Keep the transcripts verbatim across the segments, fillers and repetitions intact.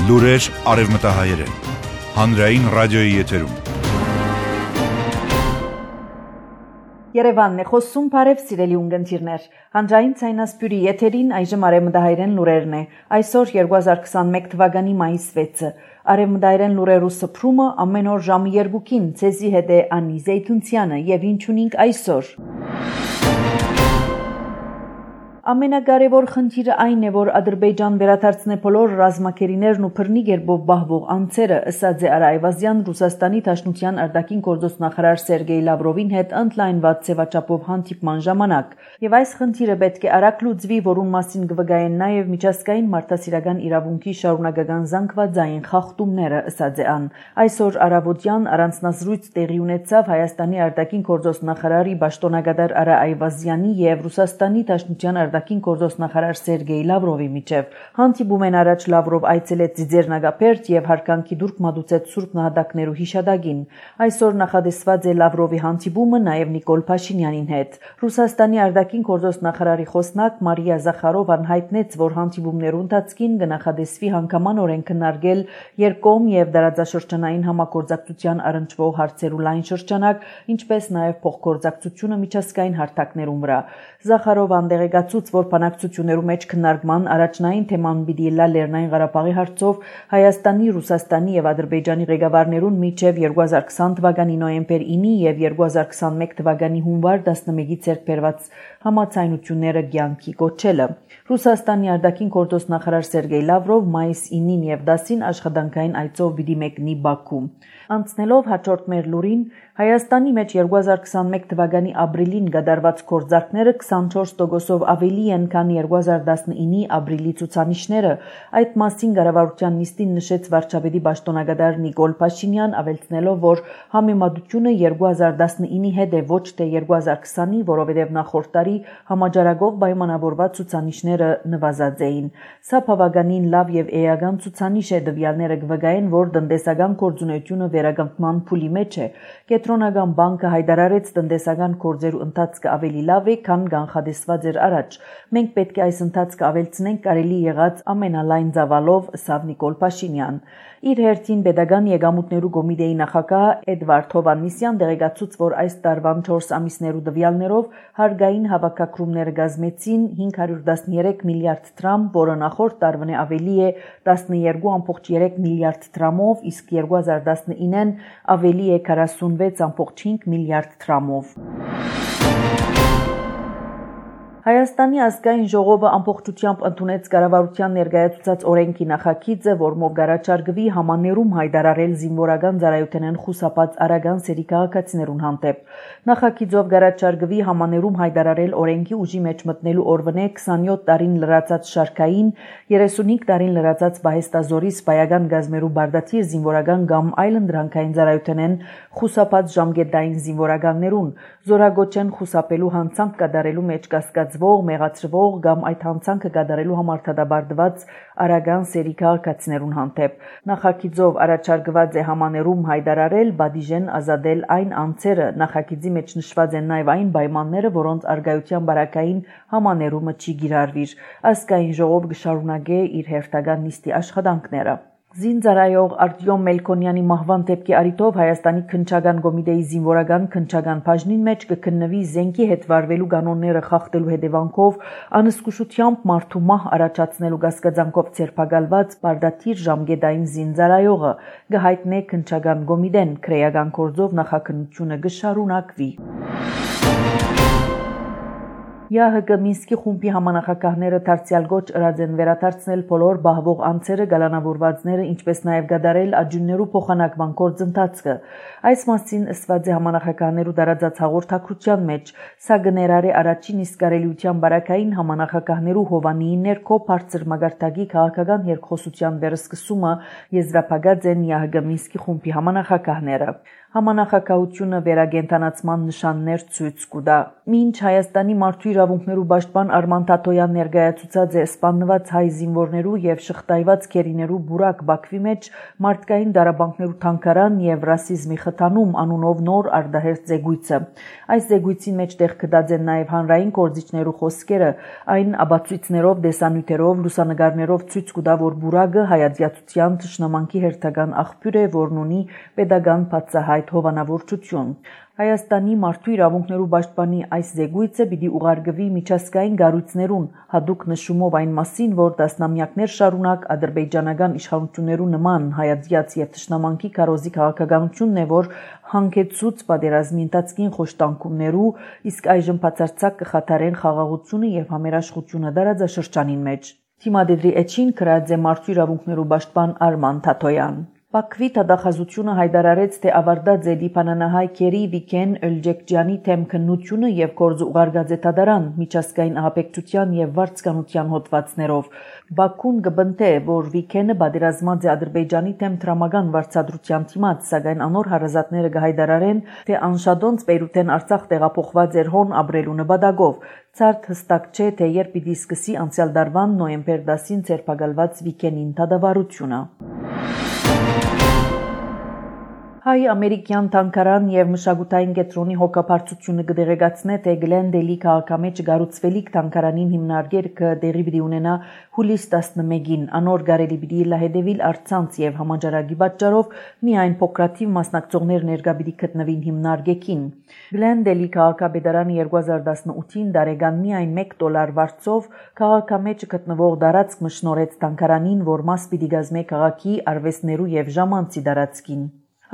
Լուրեր արևմտահայերեն, հանրային ռադիոյի եթերում։ Երևանն է խոսում, բարև սիրելի ունգընտիրներ։ Հանրային ցայնասպյուրի եթերին այժմ արևմտահայերեն լուրերն է։ Այսօր երկու հազար քսանմեկ թվականի մայիս վեցը։ Արևմտահայերեն լուրերու սփռումը ամեն օր ժամը երկուքին ցեզի հետ է Անի Զեյթունցյանը եւ ինչ ունենք այսօր։ Ամենակարևոր խնդիրը այն է, որ Ադրբեջան վերադարձնե բոլոր ռազմակերիներն ու բռնի գերբով բահվող անձերը, ըսած է Արա Այվազյան Ռուսաստանի Դաշնության արտաքին գործոստ նախարար Սերգեյ Լավրովին հետ ընդլայնված ձևաչափով հանդիպման ժամանակ։ Եվ այս խնդիրը պետք է արագ լուծվի, որուն մասին կվկայեն նաև միջազգային մարդասիրական իրավունքի շարունակական զանգվածային խախտումները, ըսած է ան։ Այսօր առավոտյան առանձնազրույց տեղի ունեցավ Հայաստանի արտաքին գործոստ նախարարի պաշտոնակատար Արա Այվազյանի եւ Ռուսաստանի Դաշնության արտաքին գործոստ նախարար Սերգեյ Լավրովի միջև։ Հանդիպումեն առաջ Լավրով այցելեց Ձիձեռնագապերտ եւ հարկանքի դուրք մատուցեց Սուրբ նահատակներու հիշադակին։ Այսօր նախադեсված է Լավրովի հանդիպումը նաեւ Նիկոլ Փաշինյանին հետ։ Ռուսաստանի արտաքին գործոստ նախարարի խոսնակ Մարիա Զախարովան հայտնեց, որ հանդիպումներու ընթացքին կնախադեсվի հանգամանորեն քննարկել երկկողմ եւ դարաձաշրջանային համագործակցության առնչվող հարցերու լայն շրջանակ, ինչպես նաեւ փոխգործակցությունը միջազգային հարթակներում վրա։ Զախարովան դեղեկացուց, որ բանակցություններու մեջ քննարկման առաջնային թեման պիտի լա Լեռնային Ղարաբաղի հարցով Հայաստանի, Ռուսաստանի եւ Ադրբեջանի ղեկավարներուն միջև երկու հազար քսան թվականի նոյեմբեր ինը եւ երկու հազար քսանմեկ թվականի հունվար տասնմեկի ցերկ բերված համաձայնությունները կյանքի կոչելը։ Ռուսաստանի արտաքին գործոստ նախարար Սերգեյ Լավրով մայիս ինին եւ դասին աշխատանքային այցով պիտի մեկնի Բաքու։ Անցնելով հաջորդ մեր լուրին, Հայաստանի մեջ երկու հազար քսանմեկ թվականի ապրիլին կատարված գործարքները քսանչորս տոկոսով ավելի են, քան երկու հազար տասնինի ապրիլի ցուցանիշները։ Այդ մասին կառավարության նիստին նշեց վարչապետի պաշտոնակատար Նիկոլ Փաշինյան, ավելցնելով, որ համեմատությունը երկու հազար տասնինի հետ է, ոչ թե երկու հազար քսանի, որովհետև նախորդ տարի համաճարակով պայմանավորված ցուցանիշները նվազած էին։ Սա բավականին լավ եւ էական ցուցանիշ է, տվյալները կվկայեն, որ տնտեսական գործունեությունը վերականգնման փուլի մեջ է։ Կենտրոնական բանկը հայտարարեց տնտեսական գործերու ընթացքը ավելի լավ է, քան կանխատեսված էր առաջ։ Մենք պետք է այս ընթացքը ավելցնենք կարելի եղած ամենալայն ծավալով, ըստ Նիկոլ Փաշինյան։ Իր հերթին Պետական եկամուտներու կոմիտեի նախագահ Էդվարդ Հովհաննիսյան դեղեկացուց, որ այս տարվան չորս ամիսներու տվյալներով հարկային հավաքագրումները կազմեցին հինգ հարյուր տասներեք միլիարդ դրամ, որը նախորդ տարվան ավելի է տասներկու կoma երեք միլիարդ դրամով, իսկ երկու հազար տասնինին ավելի է քառասունվեց կoma հինգ միլիարդ դրամով։ Հայաստանի ազգային ժողովը ամբողջությամբ ընդունեց կառավարության ներկայացուցած օրենքի նախագիծը, որմով կառաջարկվի համաներում հայտարարել զինվորական ծառայութենեն խուսափած արագան սերի քաղաքացիներուն հանդեպ։ Նախագիծով կառաջարկվի համաներում հայտարարել օրենքի ուժի մեջ մտնելու օրվանե քսանյոթ տարին լրացած շարքային, երեսունհինգ տարին լրացած պահեստազորի սպայական գազմերու բարդաթիր զինվորական կամ այլ ընդրանքային ծառայութենեն խուսափած ժամկետային զինվորականներուն, զորագոչեն խուսափելու հանցանք կատարելու մեջ կասկած մեղացրվող կամ այդ հանցանքը կատարելու համար դատապարտված արագան սերի քաղաքացիներուն հանդեպ։ Նախագիծով առաջարկված է համաներում հայտարարել, բադիժեն ազատել այն անձերը, նախագիծի մեջ նշված են նաև այն պայմանները, որոնց արգայության բարակային համաներումը չի կիրառվիր։ Ազգային ժողով կշարունակե իր հերթական նիստի աշխատանքները։ Զինծառայող Արտյոմ Մելքոնյանի մահվան դեպքի առիթով Հայաստանի քննչական կոմիտեի զինվորական քննչական բաժնին մեջ կքննվի զենքի հետ վարվելու կանոնները խախտելու հետևանքով անզգուշությամբ մարդու մահ առաջացնելու կասկածանքով ձերբակալված բարդաթիր ժամկետային զինծառայողը կհայտնե քննչական կոմիտեն, քրեական գործով նախաքննությունը կշարունակվի։ ԵԱՀԿ Մինսկի խումբի համանախագահները դարձյալ գոչ ըրած են վերադարձնել բոլոր բահվող անձերը, գալանավորվածները, ինչպես նաև կատարել աջուններու փոխանակման գործընթացը։ Այս մասին ըսված է համանախագահներու տարածած հաղորդակցության մեջ, սա կներառի առաջին իսկ կարելիության բարակային համանախագահներու Հովանիի ներքո բարձր մակարդակի քաղաքական երկխոսության վերսկսումը եզրափակած են ԵԱՀԿ Մինսկի խումբի համանախագահները։ Համանախագահությունը վերագենտանացման նշաններ ցույց կտա։ Մինչ Հայաստանի մարդու իրավունքներու պաշտպան Արման Թաթոյան ներկայացուցած է սպանված հայ զինվորներու եւ շղթայված քերիներու բուրակ Բաքվի մեջ մարդկային դարաբանքներու թանգարան եւ ռասիզմի խթանում անունով նոր արդահերձ զեկույցը։ Այս զեկույցի մեջ տեղ կդած են նաեւ հանրային կորձիչներու խոսքերը, այն աբացույցներով, դեսանյութերով, լուսանգարներով ցույց կտա, որ բուրակը հայացյացության թշնամանքի հերթական աղբյուր է, որն ունի պետական բացահայտ հովանավորչություն։ Հայաստանի մարդու իրավունքներու պաշտպանի այս զեկույցը պիտի ուղարկվի միջազգային կառույցներուն, հատուկ նշումով այն մասին, որ տասնամյակներ շարունակ ադրբեջանական իշխանություններու նման հայացյաց եւ թշնամանքի քարոզի քաղաքականությունն է, որ հանգեցուց պատերազմի ընթացքին խոշտանգումներու, իսկ այժմ բացարձակ կխաթարեն խաղաղությունը եւ համերաշխությունը դարաձաշրջանին մեջ։ Թիմադեդրի էջին գրած է մարդու իրավունքներու պաշտպան Արման Թաթոյան։ Բաքվի դատախազությունը հայտարարեց, թե ավարտած է լիբանանահայ քերի Վիկեն Էլջեկջյանի թեմ քննությունը եւ գործը ուղարկած է դատարան միջազգային ահաբեկչության եւ վարձկանության հոդվածներով։ Բաքուն կբնթե, որ Վիկենը պատերազմած է Ադրբեջանի թեմ դրամական վարձատրության դիմաց, սակայն անոր հարազատները կհայտարարեն, թե անշադոնց Բեյրութեն Արցախ տեղափոխված էր հոն ապրելու նպատակով։ Ցարտ հստակ չէ, թե երբ պիտի սկսի անցյալ դարվան նոյեմբեր տասին ձերբակալված Վիկենին դատավարությունը։ Հայ-ամերիկյան թանգարան եւ մշակութային կենտրոնի հոգաբարձությունը կդեղեկացնե, թե Գլենդելի քաղաքամեջ գառուցվելիք թանգարանին հիմնարկեր կդեղի պիտի ունենա հուլիս տասնմեկին, անոր գարելի պիտի լահետևիլ արցանց եւ համաճարակի պատճառով միայն փոքրաթիվ մասնակցողներ ներկա պիտի գտնվին հիմնարկեքին։ Գլենդելի քաղաքապետարանը երկու հազար տասնութին դարեգան միայն մեկ դոլար վարձով քաղաքամեջ գտնվող դարածք մշնորհեց թանգարանին, որ մաս պիտի գազմե քաղաքի արվեստներու եւ ժամանցի դարածքին։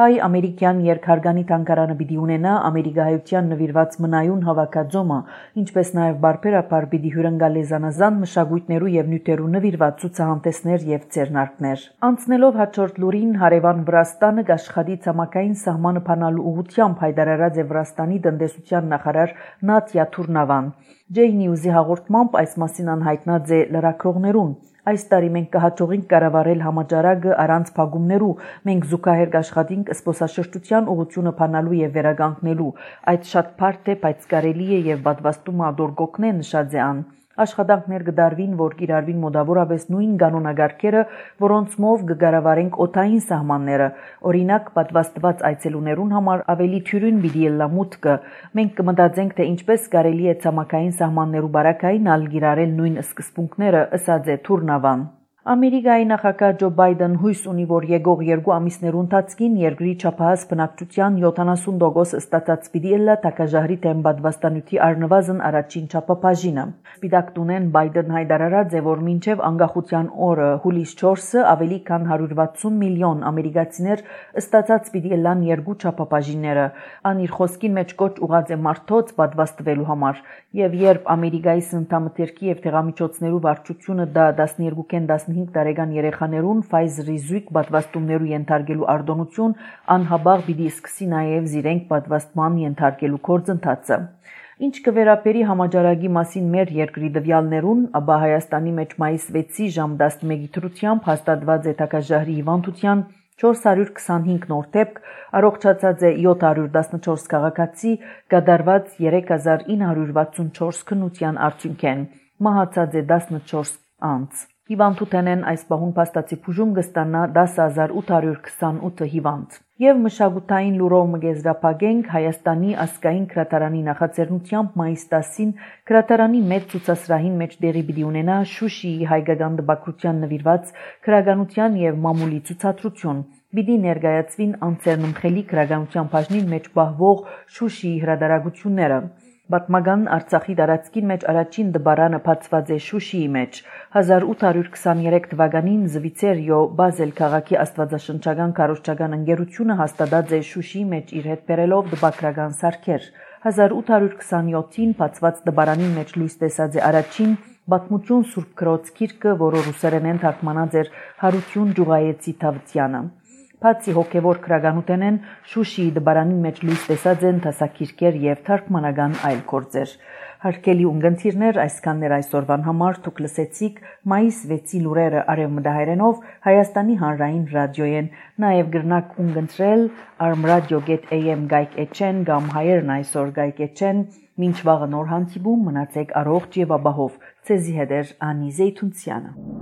Հայ-ամերիկյան երկհարգանի թանգարանը պիտի ունենա ամերիկահայության նվիրված մնայուն հավաքածոմը, ինչպես նաև բարբերաբար պիտի հյուրընկալի զանազան մշակույթներու եւ նյութերու նվիրված ցուցահանդեսներ եւ ձեռնարկներ։ Անցնելով հաջորդ լուրին, հարևան Վրաստանը կաշխատի ցամաքային սահմանը փանալու ուղղությամբ հայտարարած է Վրաստանի տնտեսության նախարար Նատյա Թուրնավան։ J News-ի հաղորդմամբ այս մասին անհայտնած է լրագրողներուն։ Այս տարի մենք կհաջողենք կառավարել համաճարակը առանց փակումներու, մենք զուգահեռ կաշխատենք զբոսաշրջության ուղղությունը փանալու եւ վերականգնելու։ Այդ շատ բարդ է, բայց կարելի է եւ պատվաստում ադոր գոքնե նշած է ան։ Աշխատանքներ կդարվին, որ կիրառվին մոտավորապես նույն կանոնագարկերը, որոնց մով կգարավարենք օդային սահմանները։ Օրինակ, պատվաստված այցելուներուն համար ավելի թյուրին պիտի ելլա մուտքը։ Մենք կմտածենք, թե ինչպես կարելի է ցամաքային սահմաններու բարակային ալ կիրառել նույն սկզբունքները, ըսած է Թուրնավան։ Ամերիկայի նախագահ Ջո Բայդեն հույս ունի, որ եկող երկու ամիսներու ընթացքին երկրի չափահաս բնակչության յոթանասուն տոկոս ստացած պիտի ելլա տակաժահրի թեմ պատվաստանյութի առնվազն առաջին չափաբաժինը։ Սպիտակ տունեն Բայդեն հայտարարած է, որ մինչև անկախության օրը հուլիս չորսը ավելի քան հարյուր վաթսուն միլիոն ամերիկացիներ ստացած պիտի ելլան երկու չափաբաժինները։ Ան իր խոսքին մեջ կոչ ուղած է մարդոց պատվաստվելու համար, եւ երբ Ամերիկայի սննդամթերքի եւ տեղամիջոցներու վարչությունը դա տասներկու տասնհինգ տարեկան երեխաներուն Pfizer-ի զույգ պատվաստումներու ենթարկելու արտոնություն անհաբաղ պիտի սկսի նաեւ զիրենք պատվաստման ենթարկելու գործընթացը։ Ինչ կվերապերի համաճարակի մասին մեր երկրի դվյալներուն, ապա Հայաստանի մեջ մայիս վեցի ժամ տասնմեկի դրությամբ հաստատված է տակաժահրի հիվանդության չորս հարյուր քսանհինգ նոր դեպք, առողջացած է յոթ հարյուր տասնչորս քաղաքացի, կատարված երեք հազար ինը հարյուր վաթսունչորս քննության արդյունքեն, մահացած է տասնչորս անձ։ Հիվանդութենեն այս պահուն փաստացի բուժում կստանա դասը հազար ութ հարյուր քսանութ հիվանդ։ Եվ մշակութային լուրով մգեզրափակենք Հայաստանի ազգային գրադարանի նախաձեռնությամբ մայիս տասին գրադարանի մեծ ցուցասրահին մեջ դեղի պիտի ունենա Շուշիի հայկական տպագրության նվիրված քրագանության եւ մամուլի ցուցադրություն։ Պիտի ներկայացվին անցերնմխելի քրագանության բաժնին մեջ պահվող Շուշիի հրատարակությունները։ Պատմական Արցախի տարածքին մեջ առաջին դպարանը բացված է Շուշիի մեջ։ հազար ութ հարյուր քսաներեք թվականին Զվիցերիո Բազել քաղաքի աստվածաշնչական քարոզչական ընկերությունը հաստատած է Շուշիի մեջ իր հետ բերելով դպագրական սարքեր։ հազար ութ հարյուր քսանյոթին բացված դպարանի մեջ լույս տեսած է առաջին Պատմություն Սուրբ Քրոց գիրքը, որը ռուսերենեն թարգմանած էր Հարություն Ջուղայեցի Թավթյանը։ Բացի հոգևոր քրագանութենեն Շուշիի դբարանի մեջ լույս տեսած են դասակիրքեր եւ թարգմանական այլ գործեր։ Հարգելի ունգընտիրներ, այսքաններ այսօրվան համար դուք լսեցիք մայիս վեցի լուրերը արևմտահայերենով Հայաստանի հանրային ռադիոյեն, նաեւ գրնակ ունգընտրել armradio dot a m գայք էչեն կամ հայերն այսօր գայք էչեն, մինչ վաղը նոր հանդիպում մնացեք առողջ եւ ապահով, ցեզի հետ Անի Զեյթունցյանը։